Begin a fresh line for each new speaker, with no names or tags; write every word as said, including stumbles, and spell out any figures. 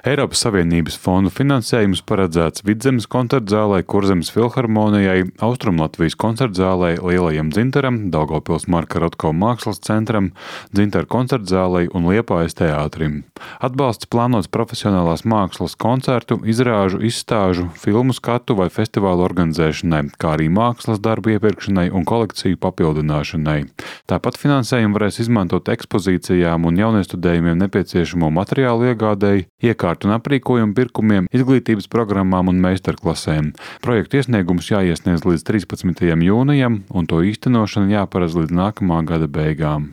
Eiropas Savienības fondu finansējums paredzēts Vidzemes koncertzālei, Kurzemes filharmonijai, Austrumlatvijas koncertzālei, Lielajam dzintaram, Daugavpils Marka Rotko mākslas centram, Dzintara koncertzālei un Liepājas teātrim. Atbalsts plānots profesionālās mākslas koncertu, izrāžu, izstāžu, filmu skatu vai festivālu organizēšanai, kā arī mākslas darbu iepirkšanai un kolekciju papildināšanai. Tāpat finansējumu varēs izmantot ekspozīcijām un jauniestudējumiem nepieciešamo materiālu iegādēji, iekārtu un aprīkojumu pirkumiem, izglītības programmām un meistarklasēm. Projektu iesniegums jāiesniedz līdz trīspadsmitajam jūnijam un to īstenošana jāparedz līdz nākamā gada beigām.